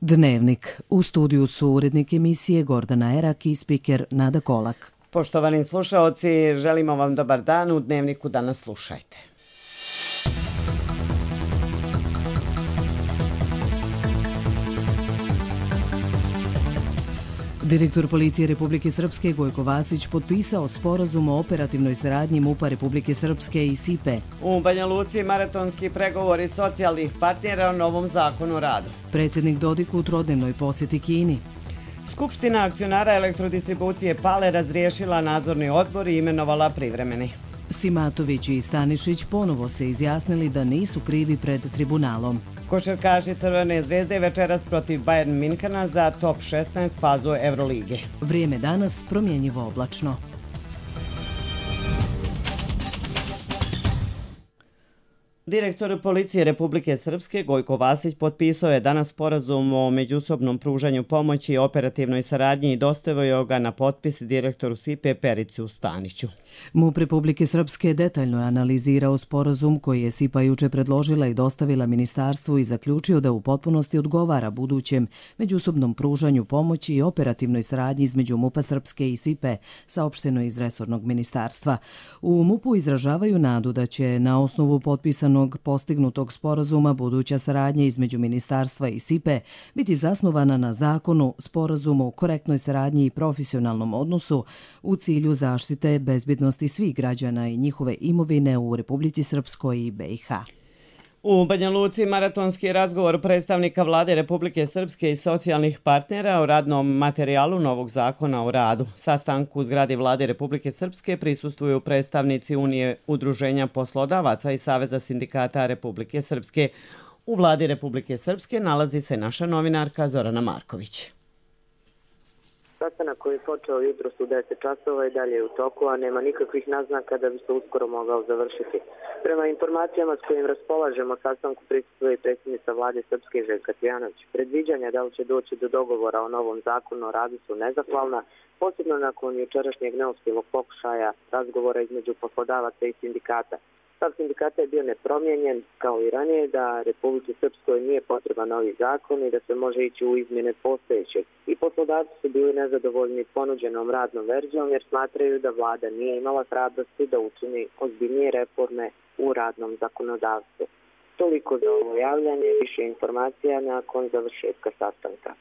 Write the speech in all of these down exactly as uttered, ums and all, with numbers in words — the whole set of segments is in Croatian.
Dnevnik. U studiju su urednik emisije Gordana Erak i spiker Nada Kolak. Poštovani slušaoci, želimo vam dobar dan. U Dnevniku danas slušajte. Direktor Policije Republike Srpske Gojko Vasić potpisao sporazum o operativnoj saradnji MUP-a Republike Srpske i S I P E. U Banja Luci maratonski pregovori socijalnih partnera o novom zakonu o radu. Predsjednik Dodik u trodnevnoj posjeti Kini. Skupština akcionara elektrodistribucije Pale razriješila nadzorni odbor i imenovala privremeni. Simatović i Stanišić ponovo se izjasnili da nisu krivi pred tribunalom. Košarkaši Crvene zvezde večeras protiv Bayern Minhena za top šesnaest fazu Evrolige. Vrijeme danas promjenjivo oblačno. Direktor Policije Republike Srpske Gojko Vasić potpisao je danas sporazum o međusobnom pružanju pomoći i operativnoj saradnji i dostavio ga na potpis direktoru S I P E Perici Staniću. MUP Republike Srpske detaljno je analizirao sporazum koji je S I P A juče predložila i dostavila ministarstvu i zaključio da u potpunosti odgovara budućem međusobnom pružanju pomoći i operativnoj saradnji između MUP-a Srpske i S I P E, saopšteno iz resornog ministarstva. U MUP-u izražavaju nadu da će na osnovu potpisanog postignutog sporazuma buduća saradnja između ministarstva i S I P E biti zasnovana na zakonu, sporazumu, korektnoj saradnji i profesionalnom odnosu u cilju zaštite bezbjednosti svih građana i njihove imovine u Republici Srpskoj i B i H. U Banja Luci maratonski razgovor predstavnika Vlade Republike Srpske i socijalnih partnera o radnom materijalu novog zakona o radu. Sastanku u zgradi Vlade Republike Srpske prisustvuju predstavnici Unije udruženja poslodavaca i Saveza sindikata Republike Srpske. U Vladi Republike Srpske nalazi se naša novinarka Zorana Marković. Sastanak koji je počeo jutros u deset časova i dalje je u toku, a nema nikakvih naznaka da bi se uskoro mogao završiti. Prema informacijama s kojim raspolažemo, sastanku prisustvuje i predsjednica Vlade Srpske Željka Cvijanović. Predviđanja da li će doći do dogovora o novom zakonu o radu su nezahvalna, posebno nakon jučerašnjeg neuspjelog pokušaja razgovora između poslodavaca i sindikata. Stav sindikata je bio nepromijenjen, kao i ranije, da Republici Srpskoj nije potreban novi zakon i da se može ići u izmjene postojećeg. I poslodavci su bili nezadovoljni ponuđenom radnom verzijom jer smatraju da vlada nije imala hrabrosti da učini ozbiljnije reforme u radnom zakonodavstvu. Toliko za ovo javljanje, više informacija nakon završetka sastanka.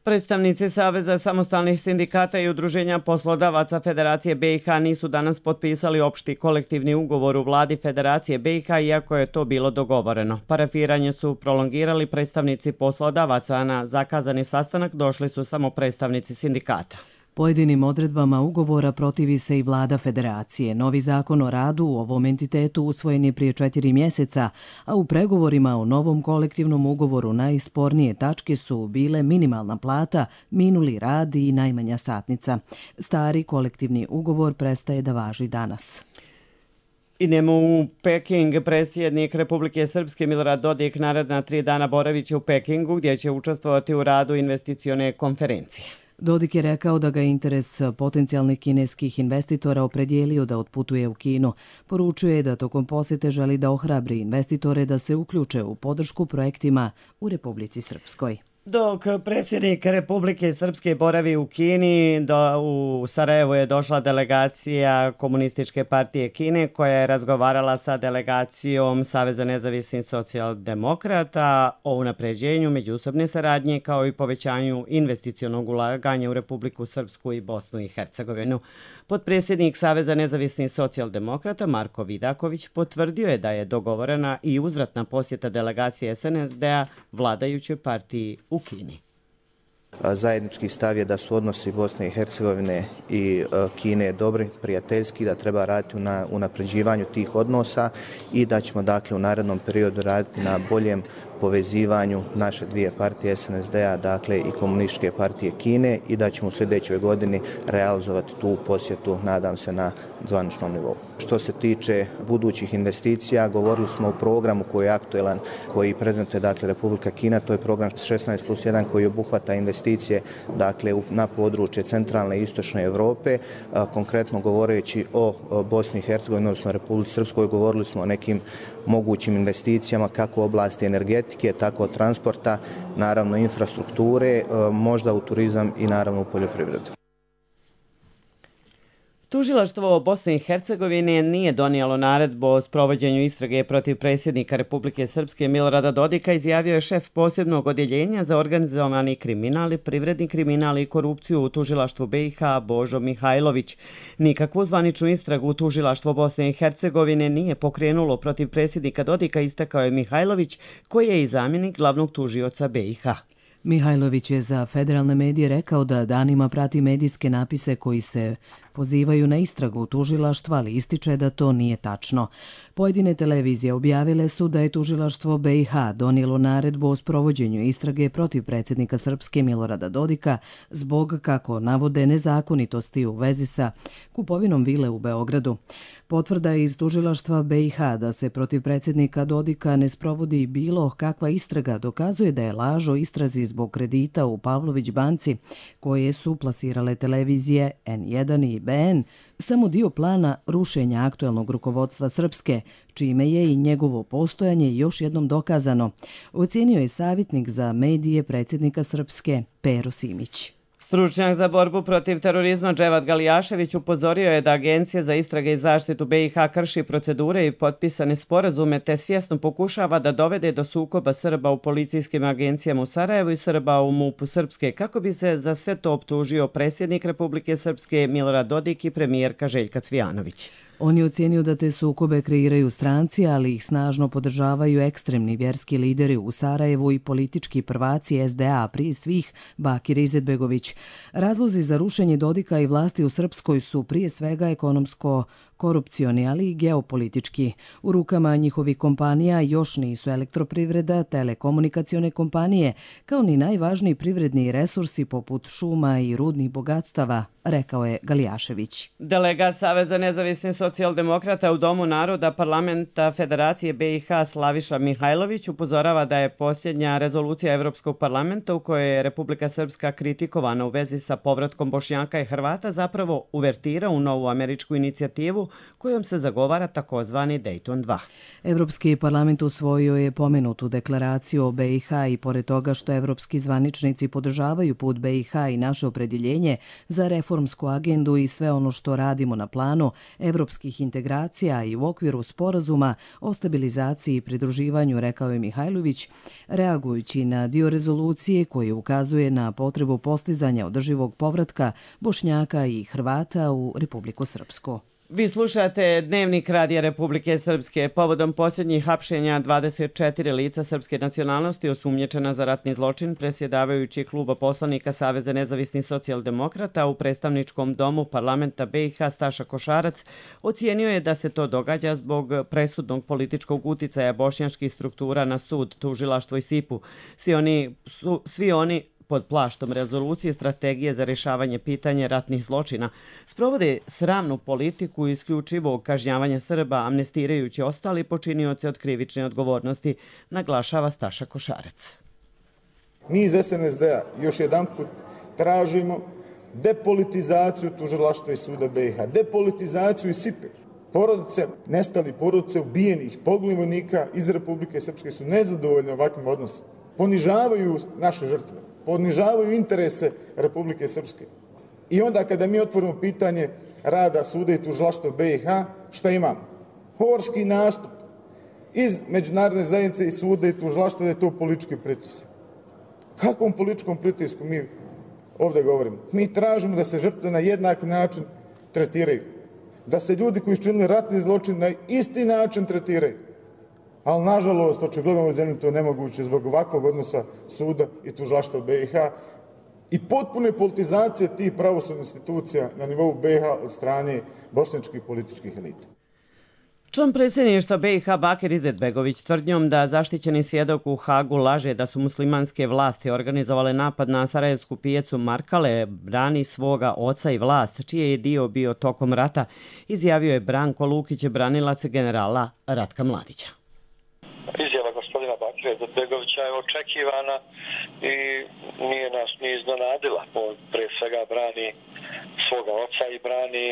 Predstavnici Saveza samostalnih sindikata i udruženja poslodavaca Federacije B i H nisu danas potpisali opšti kolektivni ugovor u vladi Federacije B i H, iako je to bilo dogovoreno. Parafiranje su prolongirali predstavnici poslodavaca, a na zakazani sastanak došli su samo predstavnici sindikata. Pojedinim odredbama ugovora protivi se i vlada Federacije. Novi zakon o radu u ovom entitetu usvojen je prije četiri mjeseca, a u pregovorima o novom kolektivnom ugovoru najspornije tačke su bile minimalna plata, minuli rad i najmanja satnica. Stari kolektivni ugovor prestaje da važi danas. Idemo u Peking. Predsjednik Republike Srpske Milorad Dodik naredna tri dana boraviće u Pekingu, gdje će učestvovati u radu investicione konferencije. Dodik je rekao da ga interes potencijalnih kineskih investitora opredijelio da otputuje u Kinu. Poručuje da tokom posjete želi da ohrabri investitore da se uključe u podršku projektima u Republici Srpskoj. Dok predsjednik Republike Srpske boravi u Kini, do, u Sarajevo je došla delegacija Komunističke partije Kine koja je razgovarala sa delegacijom Saveza nezavisnih socijaldemokrata o unapređenju međusobne saradnje kao i povećanju investicionog ulaganja u Republiku Srpsku i Bosnu i Hercegovinu. Potpredsjednik Saveza nezavisnih socijaldemokrata Marko Vidaković potvrdio je da je dogovorena i uzvratna posjeta delegacije S N S D-a vladajućoj partiji u Kini. Zajednički stav je da su odnosi Bosne i Hercegovine i Kine dobri, prijateljski, da treba raditi na unapređivanju tih odnosa i da ćemo dakle u narednom periodu raditi na boljem povezivanju naše dvije partije S N S D-a, dakle i Komunističke partije Kine, i da ćemo u sljedećoj godini realizovati tu posjetu, nadam se, na zvaničnom nivou. Što se tiče budućih investicija, govorili smo o programu koji je aktuelan, koji prezentuje dakle Republika Kina, to je program šesnaest plus jedan koji obuhvata investicije dakle na područje centralne i istočne Europe. Konkretno govoreći o Bosni i Hercegovini, odnosno Republici Srpskoj, govorili smo o nekim mogućim investicijama kako u oblasti energetike, energetike, tako od transporta, naravno infrastrukture, možda u turizam i naravno u poljoprivredu. Tužilaštvo Bosne i Hercegovine nije donijelo naredbu o sprovođenju istrage protiv predsjednika Republike Srpske Milorada Dodika, izjavio je šef posebnog odjeljenja za organizovani kriminal, privredni kriminal i korupciju u Tužilaštvu B i H Božo Mihajlović. Nikakvu zvaničnu istragu Tužilaštvo Bosne i Hercegovine nije pokrenulo protiv predsjednika Dodika, istakao je Mihajlović, koji je i zamjenik glavnog tužioca B i H. Mihajlović je za federalne medije rekao da danima prati medijske napise koji se pozivaju na istragu tužilaštva, ali ističe da to nije tačno. Pojedine televizije objavile su da je tužilaštvo B i H donijelo naredbu o sprovođenju istrage protiv predsjednika Srpske Milorada Dodika zbog, kako navode, nezakonitosti u vezi sa kupovinom vile u Beogradu. Potvrda iz tužilaštva B i H da se protiv predsjednika Dodika ne sprovodi bilo kakva istraga dokazuje da je laž o istrazi zbog kredita u Pavlović banci koje su plasirale televizije N jedan i B N samo dio plana rušenja aktuelnog rukovodstva Srpske, čime je i njegovo postojanje još jednom dokazano, ocijenio je savjetnik za medije predsjednika Srpske Pero Simić. Stručnjak za borbu protiv terorizma Dževad Galijašević upozorio je da Agencija za istrage i zaštitu B i H krši procedure i potpisane sporazume te svjesno pokušava da dovede do sukoba Srba u policijskim agencijama u Sarajevu i Srba u MUP-u Srpske, kako bi se za sve to optužio predsjednik Republike Srpske Milorad Dodik i premijerka Željka Cvijanović. On je ocijenio da te sukobe kreiraju stranci, ali ih snažno podržavaju ekstremni vjerski lideri u Sarajevu i politički prvaci S D A, prije svih Bakir Izetbegović. Razlozi za rušenje Dodika i vlasti u Srpskoj su prije svega ekonomsko korupcioni, ali i geopolitički. U rukama njihovih kompanija još nisu elektroprivreda, telekomunikacione kompanije, kao ni najvažniji privredni resursi poput šuma i rudnih bogatstava, rekao je Galijašević. Delegat Saveza nezavisnih socijaldemokrata u Domu naroda parlamenta Federacije B i H Slaviša Mihajlović upozorava da je posljednja rezolucija Evropskog parlamenta u kojoj je Republika Srpska kritikovana u vezi sa povratkom Bošnjaka i Hrvata zapravo uvertira u novu američku inicijativu kojom se zagovara takozvani Dayton dva. Evropski parlament usvojio je pomenutu deklaraciju o B i H i pored toga što evropski zvaničnici podržavaju put B i H i naše opredjeljenje za reformsku agendu i sve ono što radimo na planu evropskih integracija i u okviru sporazuma o stabilizaciji i pridruživanju, rekao je Mihajlović, reagujući na dio rezolucije koji ukazuje na potrebu postizanja održivog povratka Bošnjaka i Hrvata u Republiku Srpsku. Vi slušate Dnevnik Radija Republike Srpske. Povodom posljednjih hapšenja dvadeset četiri lica srpske nacionalnosti osumnjičena za ratni zločin, predsjedavajući kluba poslanika Saveza nezavisnih socijaldemokrata u predstavničkom domu parlamenta B i H Staša Košarac ocijenio je da se to događa zbog presudnog političkog uticaja bošnjačkih struktura na sud, tužilaštvo i S I P U. Svi oni, su, svi oni pod plaštom rezolucije strategije za rješavanje pitanja ratnih zločina sprovode sramnu politiku isključivog kažnjavanja Srba, amnestirajući ostali počinioce od krivične odgovornosti, naglašava Staša Košarac. Mi iz S N S D-a još jedan put tražimo depolitizaciju tužilaštva i suda B i H, depolitizaciju i S I P E. Porodice, nestali porodice ubijenih poginulih vojnika iz Republike Srpske su nezadovoljne ovakvim odnosom. Ponižavaju naše žrtve, ponižavaju interese Republike Srpske. I onda kada mi otvorimo pitanje rada suda i tužilaštva B i H, šta imamo? Horski nastup iz međunarodne zajednice i suda i tužilaštva da je to politički pritisak. Kakvom političkom pritisku mi ovdje govorimo? Mi tražimo da se žrtve na jednak način tretiraju. Da se ljudi koji su činili ratni zločin na isti način tretiraju. Ali, nažalost, očigledno u zemlji to je nemoguće zbog ovakvog odnosa suda i tužilaštva B i H i potpune politizacije tih pravosudnih institucija na nivou B i H od strane bošnjačkih političkih elita. Član predsjedništva B i H Bakir Izetbegović tvrdnjom da zaštićeni svjedok u Hagu laže da su muslimanske vlasti organizovale napad na sarajevsku pijacu Markale, brani svoga oca i vlast, čiji je dio bio tokom rata, izjavio je Branko Lukić, branilac generala Ratka Mladića. Izjava gospodina Bakira Izetbegovića je očekivana i nije nas ni iznenadila. On pre svega brani svoga oca i brani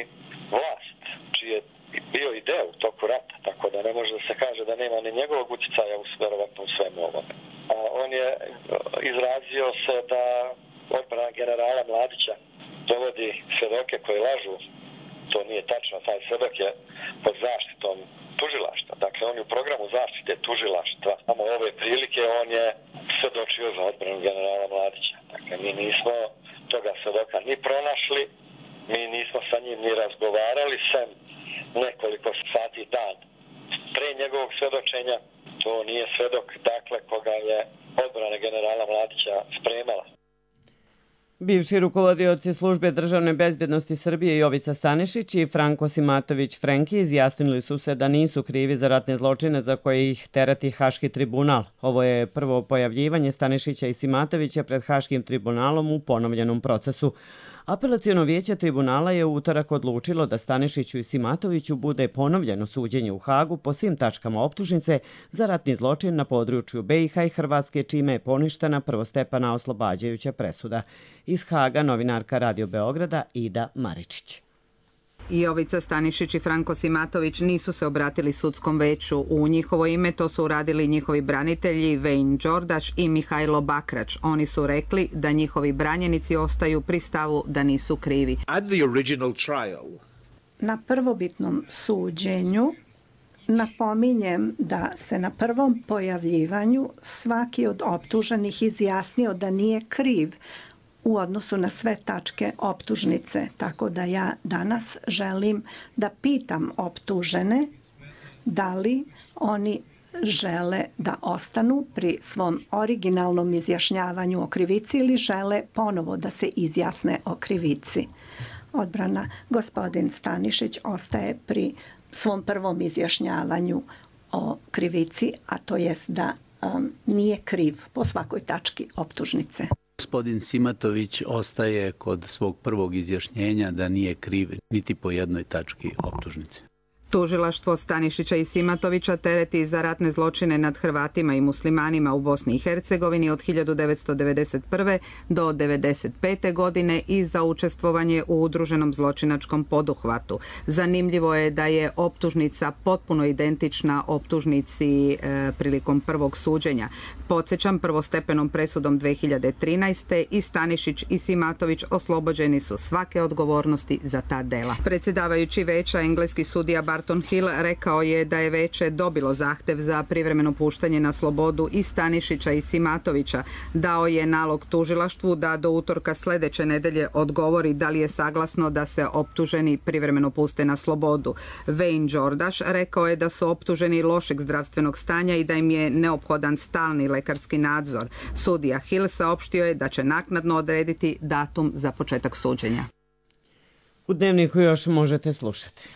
vlast, čiji je bio i deo u toku rata, tako da ne može da se kaže da nema ni njegovog utjecaja u verovatno u svemu ovome. On je izrazio se da odbrana generala Mladića dovodi svedoke koji lažu. To nije tačno, taj svedok je pod zaštitom tužilaštva. Dakle, on je u programu zaštite tužilaštva. Samo ove prilike on je svedočio za odbranu generala Mladića. Dakle, mi nismo toga svedoka ni pronašli, mi nismo sa njim ni razgovarali, sem nekoliko sati dan pre njegovog svedočenja. To nije svedok, dakle, koga je odbrana generala Mladića spremala. Bivši rukovodioci službe državne bezbjednosti Srbije Jovica Stanišić i Franko Simatović Frenki izjasnili su se da nisu krivi za ratne zločine za koje ih tereti Haški tribunal. Ovo je prvo pojavljivanje Stanišića i Simatovića pred Haškim tribunalom u ponovljenom procesu. Apelaciono vijeće tribunala je u utorak odlučilo da Stanišiću i Simatoviću bude ponovljeno suđenje u Hagu po svim tačkama optužnice za ratni zločin na području B i H i Hrvatske, čime je poništena prvostepena oslobađajuća presuda. Iz Haga novinarka Radio Beograda Ida Maričić. Jovica Stanišić i Franko Simatović nisu se obratili sudskom veću. U njihovo ime to su uradili njihovi branitelji Vejn Đordaš i Mihajlo Bakrač. Oni su rekli da njihovi branjenici ostaju pri stavu da nisu krivi. Na prvobitnom suđenju napominjem da se na prvom pojavljivanju svaki od optuženih izjasnio da nije kriv u odnosu na sve tačke optužnice. Tako da ja danas želim da pitam optužene da li oni žele da ostanu pri svom originalnom izjašnjavanju o krivici ili žele ponovo da se izjasne o krivici. Odbrana gospodin Stanišić ostaje pri svom prvom izjašnjavanju o krivici, a to jest da um, nije kriv po svakoj tački optužnice. Gospodin Simatović ostaje kod svog prvog izjašnjenja da nije kriv niti po jednoj tački optužnice. Tužilaštvo Stanišića i Simatovića tereti za ratne zločine nad Hrvatima i muslimanima u Bosni i Hercegovini od hiljadu devetsto devedeset prve do devedeset pete godine i za učestvovanje u udruženom zločinačkom poduhvatu. Zanimljivo je da je optužnica potpuno identična optužnici e, prilikom prvog suđenja. Podsjećam, prvostepenom presudom dve hiljade trinaeste. i Stanišić i Simatović oslobođeni su svake odgovornosti za ta dela. Predsjedavajući veća, engleski sudija Barton Hill rekao je da je veće dobilo zahtev za privremeno puštanje na slobodu i Stanišića i Simatovića. Dao je nalog tužilaštvu da do utorka sljedeće nedelje odgovori da li je saglasno da se optuženi privremeno puste na slobodu. Vejn Đordaš rekao je da su optuženi lošeg zdravstvenog stanja i da im je neophodan stalni lekarski nadzor. Sudija Hill saopštio je da će naknadno odrediti datum za početak suđenja. U Dnevniku još možete slušati.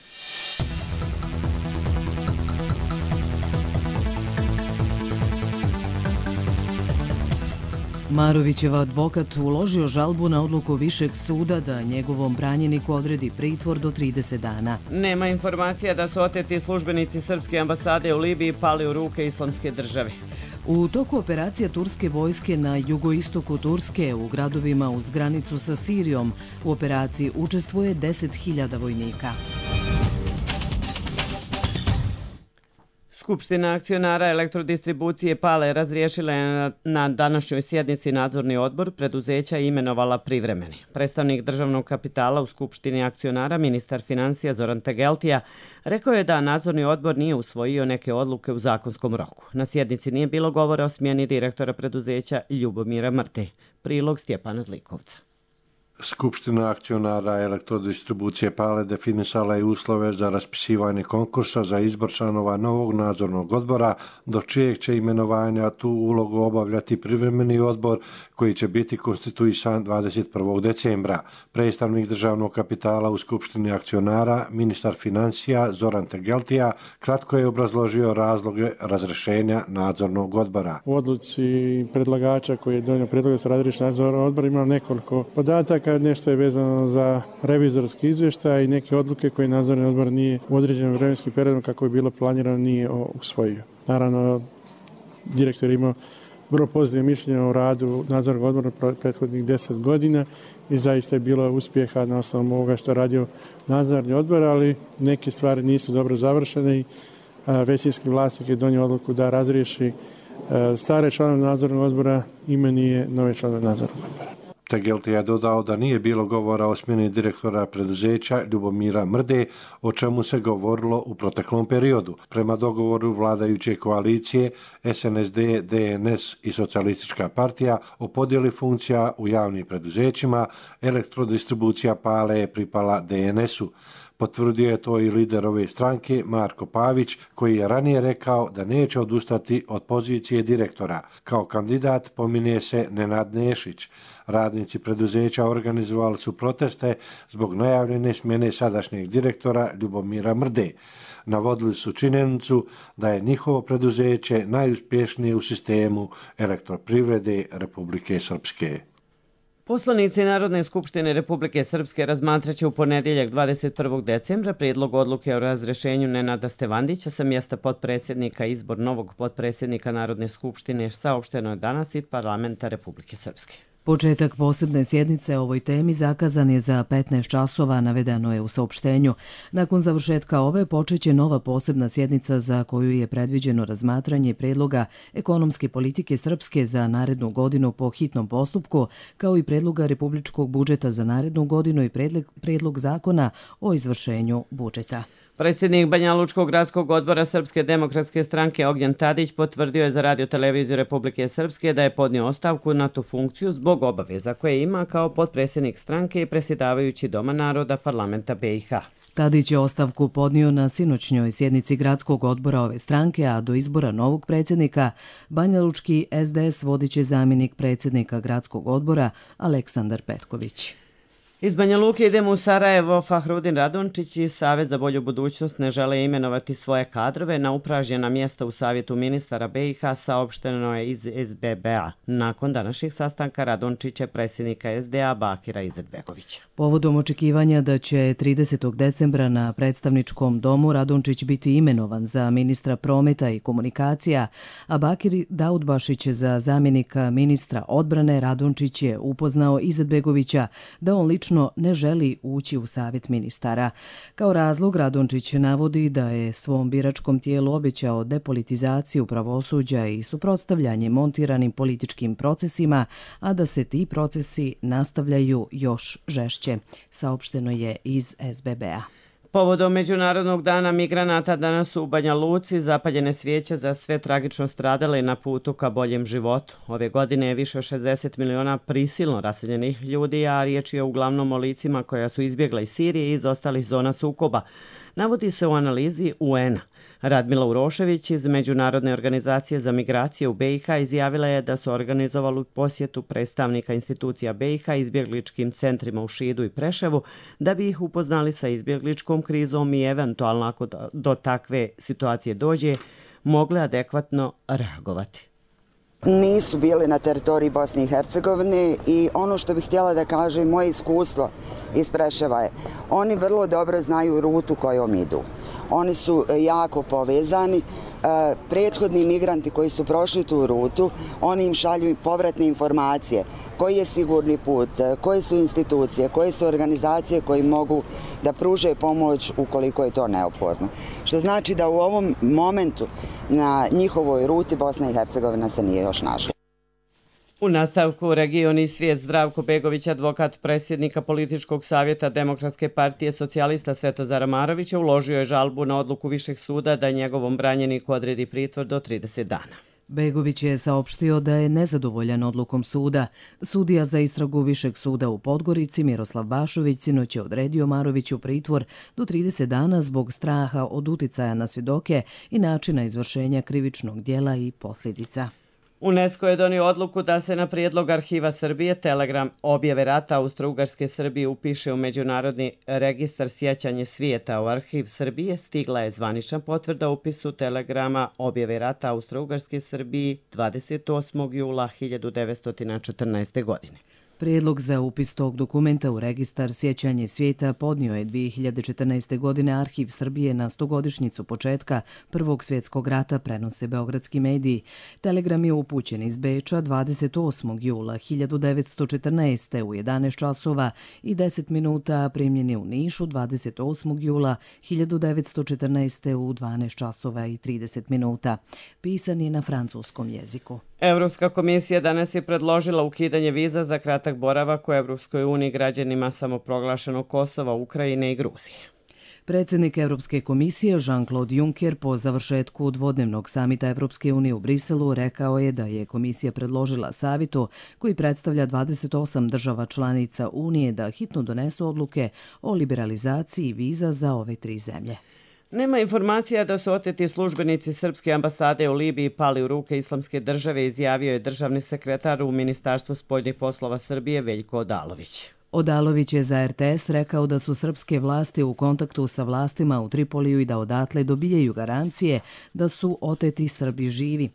Marovićev advokat uložio žalbu na odluku Višeg suda da njegovom branjeniku odredi pritvor do trideset dana. Nema informacija da su oteti službenici srpske ambasade u Libiji pali u ruke Islamske države. U toku operacije turske vojske na jugoistoku Turske u gradovima uz granicu sa Sirijom u operaciji učestvuje deset hiljada vojnika. Skupština akcionara elektrodistribucije Pale razriješila je na današnjoj sjednici nadzorni odbor preduzeća i imenovala privremeni. Predstavnik državnog kapitala u Skupštini akcionara, ministar financija Zoran Tegeltija, rekao je da nadzorni odbor nije usvojio neke odluke u zakonskom roku. Na sjednici nije bilo govora o smjeni direktora preduzeća Ljubomira Mrte. Prilog Stjepana Zlikovca. Skupština akcionara elektrodistribucije Pale definisala je uslove za raspisivanje konkursa za izbor članova novog nadzornog odbora, do čijeg će imenovanja tu ulogu obavljati privremeni odbor koji će biti konstituisan dvadeset prvog decembra. Predstavnik državnog kapitala u Skupštini akcionara, ministar financija Zoran Tegeltija, kratko je obrazložio razloge razrješenja nadzornog odbora. U odluci predlagača koji je donio prijedlog da se razriješi nadzorni odbor ima nekoliko podataka. Nešto je vezano za revizorski izvještaj i neke odluke koje nadzorni odbor nije u određenom vremenskim periodom kako je bilo planirano nije usvojio. Naravno, direktor je imao vrlo pozitivno mišljenje o radu nadzornog odbora prethodnih deset godina i zaista je bilo uspjeha na osnovu ovoga što je radio nadzorni odbor, ali neke stvari nisu dobro završene i većinski vlasnik je donio odluku da razriješi stare članove nadzornog odbora imenuje nove članove nadzornog odbora. Tegelti je dodao da nije bilo govora o smjeni direktora preduzeća Ljubomira Mrde, o čemu se govorilo u proteklom periodu. Prema dogovoru vladajuće koalicije S N S D, D N S i Socijalistička partija o podjeli funkcija u javnim preduzećima, elektrodistribucija Pale je pripala D N S-u. Potvrdio je to i lider ove stranke Marko Pavić, koji je ranije rekao da neće odustati od pozicije direktora. Kao kandidat pominje se Nenad Nešić. Radnici preduzeća organizovali su proteste zbog najavljene smjene sadašnjeg direktora Ljubomira Mrde. Navodili su činjenicu da je njihovo preduzeće najuspješnije u sistemu elektroprivrede Republike Srpske. Poslanici Narodne skupštine Republike Srpske razmatraće u ponedjeljak dvadeset prvog decembra prijedlog odluke o razrješenju Nenada Stevandića sa mjesta potpredsjednika. Izbor novog potpredsjednika Narodne skupštine saopšteno je danas i parlamenta Republike Srpske. Početak posebne sjednice o ovoj temi zakazan je za petnaest časova, navedeno je u saopštenju. Nakon završetka ove počeće nova posebna sjednica za koju je predviđeno razmatranje predloga ekonomske politike Srpske za narednu godinu po hitnom postupku, kao i predloga republičkog budžeta za narednu godinu i predlog zakona o izvršenju budžeta. Predsjednik Banjalučkog gradskog odbora Srpske demokratske stranke Ognjen Tadić potvrdio je za Radio-televiziju Republike Srpske da je podnio ostavku na tu funkciju zbog obaveza koje ima kao potpredsjednik stranke i predsjedavajući Doma naroda parlamenta B i H. Tadić je ostavku podnio na sinoćnjoj sjednici gradskog odbora ove stranke, a do izbora novog predsjednika Banjalučki S D S vodit će zamjenik predsjednika gradskog odbora Aleksandar Petković. Iz Banja Luke idemo u Sarajevo. Fahrudin Radončić i Savez za bolju budućnost ne žele imenovati svoje kadrove na upražnjena mjesta u Savjetu ministara B i H, saopšteno je iz S B B-a. Nakon današnjih sastanka Radončića predsjednika S D A Bakira Izetbegovića. Povodom očekivanja da će tridesetog decembra na predstavničkom domu Radončić biti imenovan za ministra prometa i komunikacija, a Bakir Daudbašić za zamjenika ministra odbrane, Radončić je upoznao Izetbegovića da on lično ne želi ući u savjet ministara. Kao razlog Radončić navodi da je svom biračkom tijelu obećao depolitizaciju pravosuđa i suprotstavljanje montiranim političkim procesima, a da se ti procesi nastavljaju još žešće, saopšteno je iz S B B-a. Povodom Međunarodnog dana migranata danas su u Banja Luci zapaljene svijeće za sve tragično stradale na putu ka boljem životu. Ove godine je više od šezdeset miliona prisilno raseljenih ljudi, a riječ je uglavnom o licima koja su izbjegla iz Sirije i iz ostalih zona sukoba. Navodi se u analizi U N-a. Radmila Urošević iz Međunarodne organizacije za migracije u B i H izjavila je da su organizovali posjetu predstavnika institucija B i H izbjegličkim centrima u Šidu i Preševu da bi ih upoznali sa izbjegličkom krizom i eventualno ako do takve situacije dođe mogle adekvatno reagovati. Nisu bili na teritoriji Bosne i Hercegovine i ono što bih htjela da kažem, moje iskustvo iz Preševa je, oni vrlo dobro znaju rutu kojom idu. Oni su jako povezani. Prethodni migranti koji su prošli tu rutu, oni im šalju povratne informacije koji je sigurni put, koje su institucije, koje su organizacije koji mogu da pruže pomoć ukoliko je to neophodno. Što znači da u ovom momentu na njihovoj ruti Bosna i Hercegovina se nije još našla. U nastavku Region i svijet. Zdravko Begović, advokat predsjednika Političkog savjeta Demokratske partije socijalista Svetozara Marovića, uložio je žalbu na odluku Višeg suda da njegovom branjeniku odredi pritvor do trideset dana. Begović je saopštio da je nezadovoljan odlukom suda. Sudija za istragu Višeg suda u Podgorici Miroslav Bašović sinoć je odredio Maroviću pritvor do trideset dana zbog straha od uticaja na svjedoke i načina izvršenja krivičnog djela i posljedica. UNESCO je donio odluku da se na prijedlog Arhiva Srbije telegram objave rata Austro-Ugarske Srbije upiše u Međunarodni registar sjećanje svijeta. U Arhiv Srbije stigla je zvanična potvrda upisu telegrama objave rata Austro-Ugarske Srbije dvadeset osmog jula hiljadu devetsto četrnaeste. godine. Prijedlog za upis tog dokumenta u registar Sjećanje svijeta podnio je dvije hiljade četrnaeste. godine Arhiv Srbije na stogodišnjicu početka Prvog svjetskog rata, prenose beogradski mediji. Telegram je upućen iz Beča dvadeset osmog jula hiljadu devetsto četrnaeste. u jedanaest časova i deset minuta, primljen je u Nišu dvadeset osmog jula hiljadu devetsto četrnaeste. u dvanaest časova i trideset minuta. Pisan je na francuskom jeziku. Evropska komisija danas je predložila ukidanje viza za kratak boravak u Evropskoj uniji građanima samoproglašenog Kosova, Ukrajine i Gruzije. Predsjednik Evropske komisije Jean-Claude Juncker po završetku dvodnevnog samita Evropske unije u Briselu rekao je da je komisija predložila savitu koji predstavlja dvadeset osam država članica Unije da hitno donesu odluke o liberalizaciji viza za ove tri zemlje. Nema informacija da su oteti službenici Srpske ambasade u Libiji pali u ruke Islamske države, izjavio je državni sekretar u Ministarstvu spoljnih poslova Srbije Veljko Odalović. Odalović je za er te es rekao da su srpske vlasti u kontaktu sa vlastima u Tripoliju i da odatle dobijaju garancije da su oteti Srbi živi.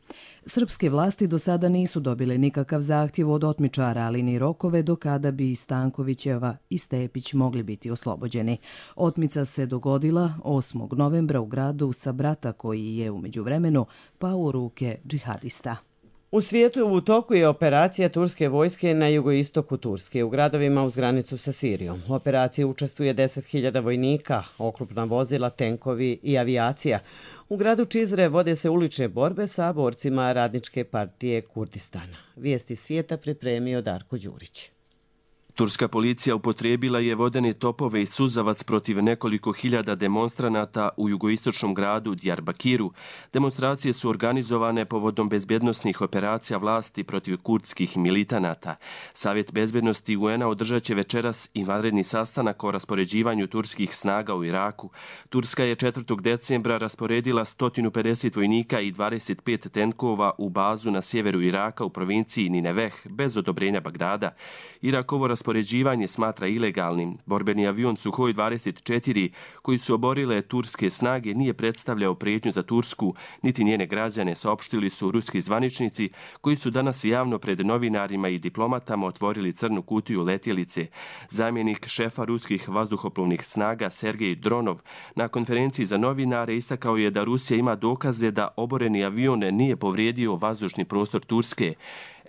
Srpske vlasti do sada nisu dobile nikakav zahtjev od otmičara, ali ni rokove do kada bi Stankovićeva i Stepić mogli biti oslobođeni. Otmica se dogodila osmog novembra u gradu Sabrata, koji je u međuvremenu pao u ruke džihadista. U svijetu u toku je operacija turske vojske na jugoistoku Turske, u gradovima uz granicu sa Sirijom. U operaciji učestvuje deset hiljada vojnika, oklopna vozila, tenkovi i avijacija. U gradu Čizre vode se ulične borbe sa borcima Radničke partije Kurdistana. Vijesti svijeta pripremio Darko Đurić. Turska policija upotrijebila je vodene topove i suzavac protiv nekoliko hiljada demonstranata u jugoistočnom gradu Diyarbakiru. Demonstracije su organizovane povodom bezbjednosnih operacija vlasti protiv kurdskih militanata. Savjet bezbjednosti U N a održat će večeras i vanredni sastanak o raspoređivanju turskih snaga u Iraku. Turska je četvrtog decembra rasporedila sto pedeset vojnika i dvadeset pet tenkova u bazu na sjeveru Iraka u provinciji Nineveh bez odobrenja Bagdada. Irakovo raspoređivanje smatra ilegalnim. Borbeni avion Suhoj dvadeset četiri koji su oborile turske snage nije predstavljao prijetnju za Tursku, niti njene građane, saopštili su ruski zvaničnici koji su danas javno pred novinarima i diplomatama otvorili crnu kutiju letjelice. Zamjenik šefa ruskih vazduhoplovnih snaga Sergej Dronov na konferenciji za novinare istakao je da Rusija ima dokaze da oboreni avion nije povrijedio vazdušni prostor Turske.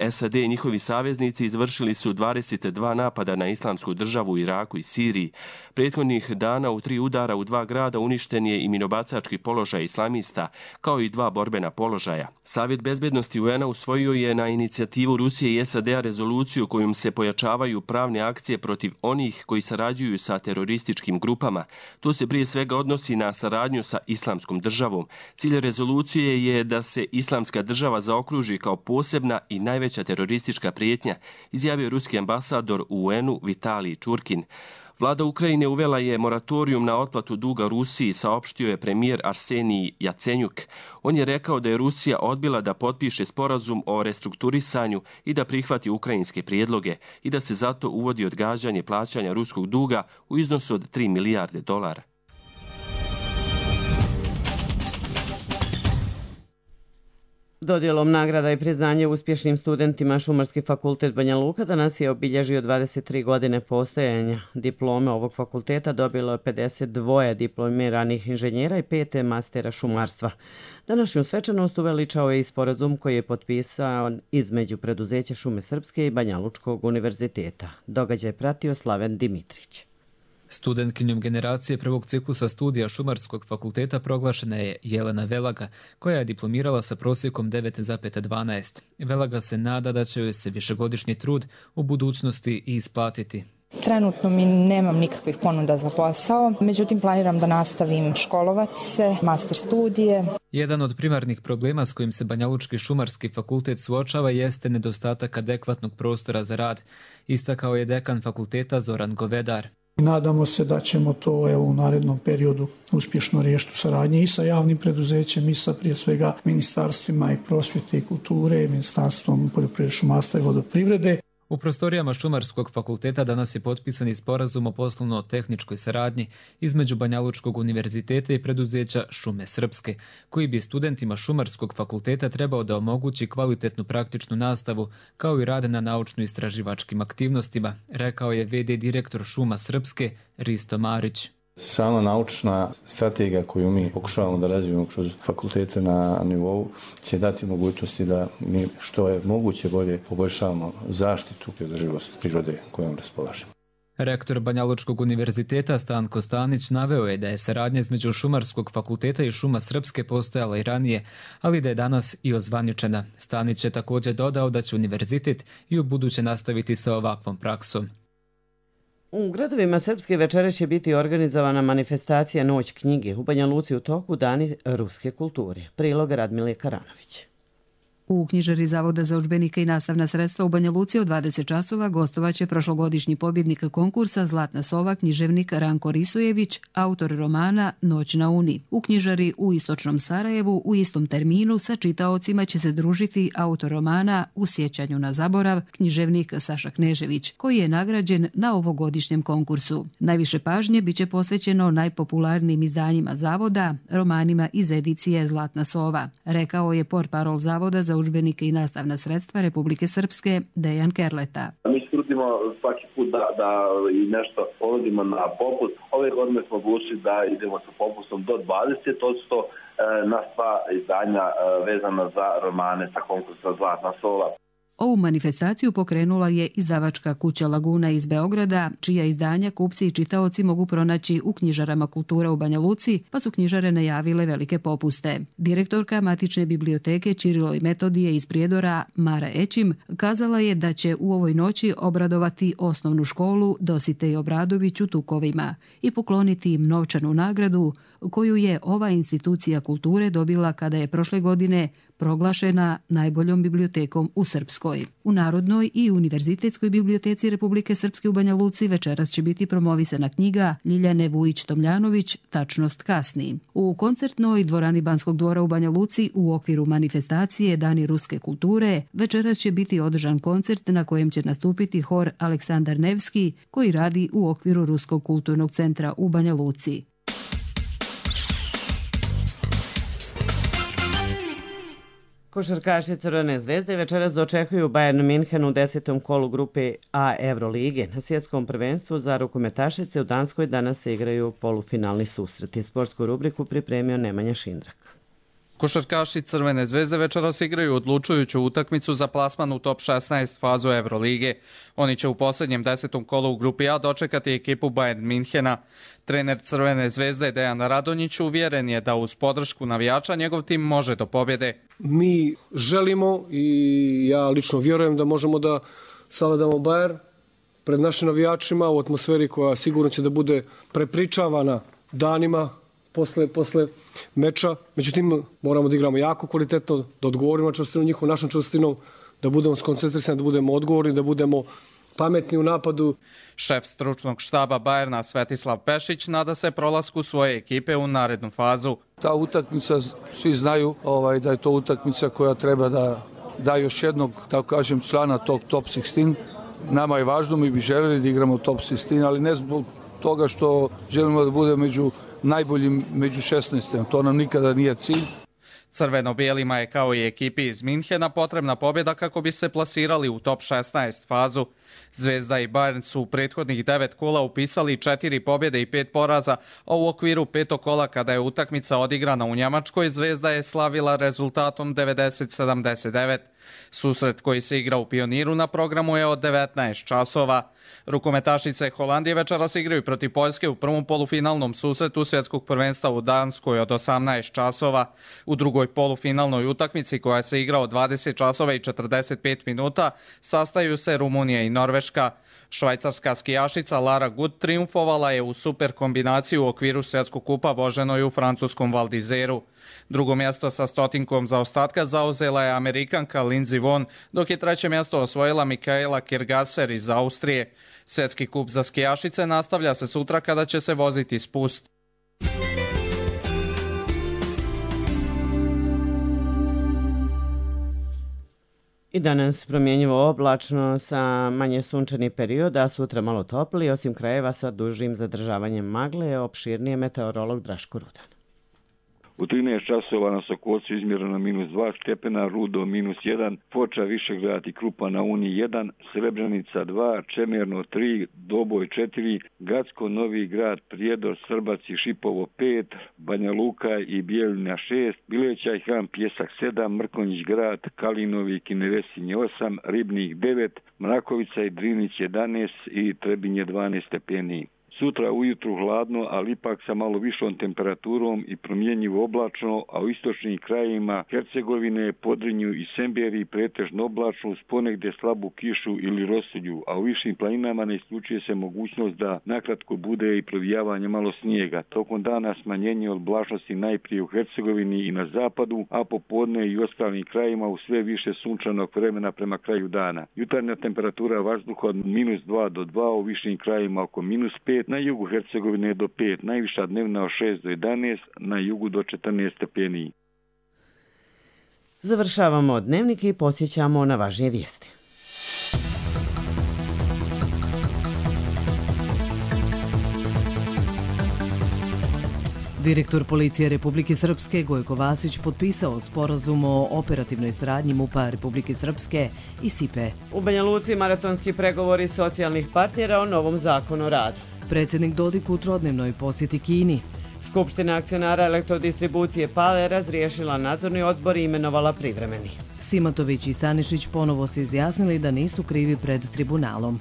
S A D i njihovi saveznici izvršili su dvadeset dva napada na islamsku državu u Iraku i Siriji. Prethodnih dana u tri udara u dva grada uništen je i minobacački položaj islamista, kao i dva borbena položaja. Savjet bezbjednosti U N a usvojio je na inicijativu Rusije i S A D a rezoluciju kojom se pojačavaju pravne akcije protiv onih koji sarađuju sa terorističkim grupama. To se prije svega odnosi na saradnju sa islamskom državom. Cilj rezolucije je da se islamska država zaokruži kao posebna i najveća veća teroristička prijetnja, izjavio ruski ambasador u U N u Vitalij Čurkin. Vlada Ukrajine uvela je moratorijum na otplatu duga Rusiji, saopštio je premijer Arsenij Jacenjuk. On je rekao da je Rusija odbila da potpiše sporazum o restrukturisanju i da prihvati ukrajinske prijedloge i da se zato uvodi odgađanje plaćanja ruskog duga u iznosu od tri milijarde dolara. Dodjelom nagrada i priznanje uspješnim studentima Šumarski fakultet Banja Luka danas je obilježio dvadeset tri godine postojanja. Diplome ovog fakulteta dobilo je pedeset dva diplomiranih inženjera i pet mastera šumarstva. Današnju svečanost uveličao je i sporazum koji je potpisao između preduzeća Šume Srpske i Banja Lučkog univerziteta. Događaj pratio Slaven Dimitrić. Studentkinjom generacije prvog ciklusa studija Šumarskog fakulteta proglašena je Jelena Velaga, koja je diplomirala sa prosjekom devet zarez dvanaest. Velaga se nada da će joj se višegodišnji trud u budućnosti i isplatiti. Trenutno mi nemam nikakvih ponuda za posao, međutim planiram da nastavim školovati se, master studije. Jedan od primarnih problema s kojim se Banjalučki šumarski fakultet suočava jeste nedostatak adekvatnog prostora za rad, istakao je dekan fakulteta Zoran Govedar. Nadamo se da ćemo to evo, u narednom periodu uspješno riješiti u saradnji i sa javnim preduzećem i sa prije svega ministarstvima i prosvjete i kulture, ministarstvom poljoprivrede, šumarstva i vodoprivrede. U prostorijama Šumarskog fakulteta danas je potpisani sporazum o poslovno-tehničkoj saradnji između Banjalučkog univerziteta i preduzeća Šume Srpske, koji bi studentima Šumarskog fakulteta trebao da omogući kvalitetnu praktičnu nastavu kao i rad na naučno-istraživačkim aktivnostima, rekao je ve de direktor Šuma Srpske Risto Marić. Sama naučna strategija koju mi pokušavamo da razvijemo kroz fakultete na nivou će dati mogućnosti da mi što je moguće bolje poboljšavamo zaštitu i održivost prirode kojom raspolažemo. Rektor Banjalučkog univerziteta Stanko Stanić naveo je da je saradnja između Šumarskog fakulteta i Šuma Srpske postojala i ranije, ali da je danas i ozvaničena. Stanić je također dodao da će univerzitet i u buduće nastaviti sa ovakvom praksom. U gradovima Srpske večera će biti organizovana manifestacija Noć knjige, u Banja Luci u toku Dani ruske kulture. Prilog Radmile Karanović. U knjižari Zavoda za udžbenike i nastavna sredstva u Banja Luci od dvadeset časova gostovaće prošlogodišnji pobjednik konkursa Zlatna sova, književnik Ranko Risojević, autor romana Noć na Uni. U knjižari u istočnom Sarajevu u istom terminu sa čitaocima će se družiti autor romana U sjećanju na zaborav, književnik Saša Knežević, koji je nagrađen na ovogodišnjem konkursu. Najviše pažnje biće posvećeno najpopularnijim izdanjima Zavoda, romanima iz edicije Zlatna sova, rekao je portparol Zavoda za udžbenike i nastavna sredstva Republike Srpske Dejan Kerleta. Mi se trudimo svaki put da, da i nešto ponudimo na popust. Ove godine smo odlučili da idemo sa popustom do dvadeset posto na sva izdanja vezana za romane sa konkursa Zlatna sova. Ovu manifestaciju pokrenula je izdavačka kuća Laguna iz Beograda, čija izdanja kupci i čitaoci mogu pronaći u knjižarama kultura u Banja Luci, pa su knjižare najavile velike popuste. Direktorka Matične biblioteke Čirilo i Metodije iz Prijedora Mara Ećim kazala je da će u ovoj noći obradovati osnovnu školu Dositej Obradović u Tukovima i pokloniti im novčanu nagradu koju je ova institucija kulture dobila kada je prošle godine proglašena najboljom bibliotekom u Srpskoj. U Narodnoj i Univerzitetskoj biblioteci Republike Srpske u Banja Luci večeras će biti promovisana knjiga Ljiljane Vujić-Tomljanović Tačnost kasni. U koncertnoj dvorani Banskog dvora u Banja Luci u okviru manifestacije Dani ruske kulture večeras će biti održan koncert na kojem će nastupiti hor Aleksandar Nevski koji radi u okviru Ruskog kulturnog centra u Banja Luci. Košarkaši Crvene zvezde večeras dočekuju Bayern Minhen u desetom kolu grupe A Evrolige. Na svjetskom prvenstvu za rukometašice u Danskoj danas se igraju polufinalni susreti. Sportsku rubriku pripremio Nemanja Šindrak. Košarkaši Crvene zvezde večeras igraju odlučujuću utakmicu za plasman u top šesnaest fazu Evrolige. Oni će u posljednjem desetom kolu u grupi A dočekati ekipu Bayern Minhena. Trener Crvene zvezde Dejan Radonjić uvjeren je da uz podršku navijača njegov tim može do pobjede. Mi želimo i ja lično vjerujem da možemo da savladamo Bayern pred našim navijačima u atmosferi koja sigurno će da bude prepričavana danima posle, posle meča. Međutim, moramo da igramo jako kvalitetno, da odgovorimo na čvrstinu njihovom, našom čvrstinom, da budemo skoncentrisani, da budemo odgovorni, da budemo pametni u napadu. Šef stručnog štaba Bayerna Svetislav Pešić nada se prolasku svoje ekipe u narednu fazu. Ta utakmica, svi znaju ovaj, da je to utakmica koja treba da da još jednog, tako kažem, člana tog top šesnaest. Nama je važno, mi bi željeli da igramo top šesnaest, ali ne zbog toga što želimo da bude među najboljim među šesnaest. To nam nikada nije cilj. Crveno-bijelima je kao i ekipi iz Minhena potrebna pobjeda kako bi se plasirali u top šesnaest fazu. Zvezda i Bayern su u prethodnih devet kola upisali četiri pobjede i pet poraza, a u okviru petog kola kada je utakmica odigrana u Njemačkoj, Zvezda je slavila rezultatom devedeset sedamdeset devet. Susret koji se igra u Pioniru na programu je od devetnaest časova. Rukometašice Holandije večeras igraju protiv Poljske u prvom polufinalnom susretu svjetskog prvenstva u Danskoj od osamnaest časova. U drugoj polufinalnoj utakmici koja se igra od dvadeset časova i četrdeset pet minuta sastaju se Rumunija i Norveška. Švajcarska skijašica Lara Gut triumfovala je u super kombinaciji u okviru svjetskog kupa voženoj u francuskom Val d'Izeru. Drugo mjesto sa stotinkom zaostatka zauzela je Amerikanka Lindsey Vonn, dok je treće mjesto osvojila Mikaela Kirgaser iz Austrije. Svjetski kup za skijašice nastavlja se sutra kada će se voziti spust. I danas promjenjivo oblačno sa manje sunčani period, a sutra malo topli, osim krajeva sa dužim zadržavanjem magle, opširnije meteorolog Draško Rudan. U trinaest časova na Sokolcu izmjereno minus dva stepena, Rudo minus jedan, Foča, Višegrad i Krupa na Uni jedan, Srebrenica dva, Čemerno tri, Doboj četiri, Gacko, Novi Grad, Prijedor, Srbac i Šipovo pet, Banja Luka i Bijeljina šest, Bileća i Hram Pjesak sedam, Mrkonjić Grad, Kalinovi i Kinevesinje osam, Ribnik devet, Mrakovica i Drinić jedanaest i Trebinje dvanaest stepeni. Sutra ujutru hladno, ali ipak sa malo višom temperaturom i promjenjivo oblačno, a u istočnim krajevima Hercegovine, Podrinju i Semberiji pretežno oblačno uz ponegdje slabu kišu ili rosulju, a u višim planinama ne isključuje se mogućnost da nakratko bude i provijavanje malo snijega. Tokom dana smanjenje oblačnosti najprije u Hercegovini i na zapadu, a popodne i u ostalim krajevima u sve više sunčanog vremena prema kraju dana. Jutarnja temperatura vazduha od minus dva do dva, u višim krajevima oko minus pet, na jugu Hercegovine do pet, najviša dnevna od šest do jedanaest, na jugu do četrnaest stepeni. Završavamo dnevnik i podsjećamo na važnije vijesti. Direktor Policije Republike Srpske Gojko Vasić potpisao sporazum o operativnoj saradnji MUP-a Republike Srpske i S I P E. U Banja Luci maratonski pregovori socijalnih partnera o novom zakonu o radu. Predsjednik Dodik u trodnevnoj posjeti Kini. Skupština akcionara elektrodistribucije Pale razriješila nadzorni odbor i imenovala privremeni. Simatović i Stanišić ponovo se izjasnili da nisu krivi pred tribunalom.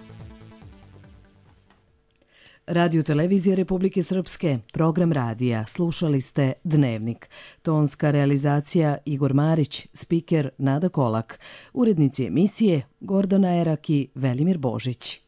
Radio Televizija Republike Srpske, program radija, slušali ste Dnevnik. Tonska realizacija Igor Marić, spiker Nada Kolak, urednici emisije Gordana Erak i Velimir Božić.